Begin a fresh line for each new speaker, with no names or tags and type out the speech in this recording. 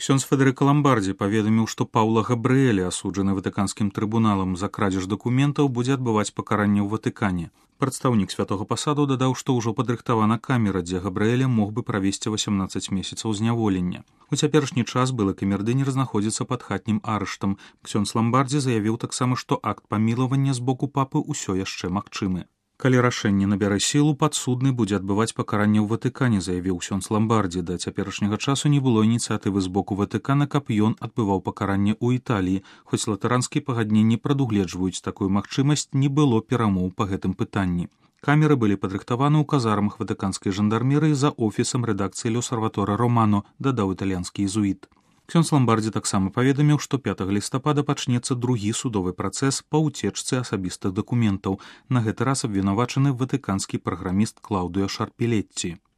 Ксёндз Федэрыка Ламбардзі паведаміў, што Паўла Габрыэлі, асуджаны ватыканскім трыбуналам за крадзеж дакументаў, будзе адбываць пакаранне ў Ватыкане. Прадстаўнік святога пасаду дадаў, што ўжо падрыхтавана камера, дзе Габрыэля мог бы правесці 18 месяцаў зняволення. У цяперашні час былы камердынер знаходзіцца пад хатнім арыштам. Ксёндз Ламбардзі заявіў таксама, што акт памілавання з боку папы ўсё яшчэ магчымы. Калі рашэнне набярэ сілу, падсудны будзе адбываць пакаранне ў Ватыкане, заявіў ксёндз Ламбардзі. Да цяперашняга часу не было ініцыятывы з боку Ватыкана, каб ён адбываў пакаранне ў Італіі. Хоць латаранскія пагадненні прадугледжваюць такую магчымасць, не было перамоў па гэтым пытанні. Камеры былі падрыхтаваны ў казармах ватыканскай жандармерыі за офісам рэдакцыі Л'Осерваторе Романо, дадаў італьянскі езуіт. Ксёндз Ламбардзі таксама паведаміў, што 5 лістапада пачнецца другі судовы працэс па ўцечцы асабістых дакументаў. На гэты раз абвінавачаны ватыканскі праграміст Клаўдыо Шарпелетці.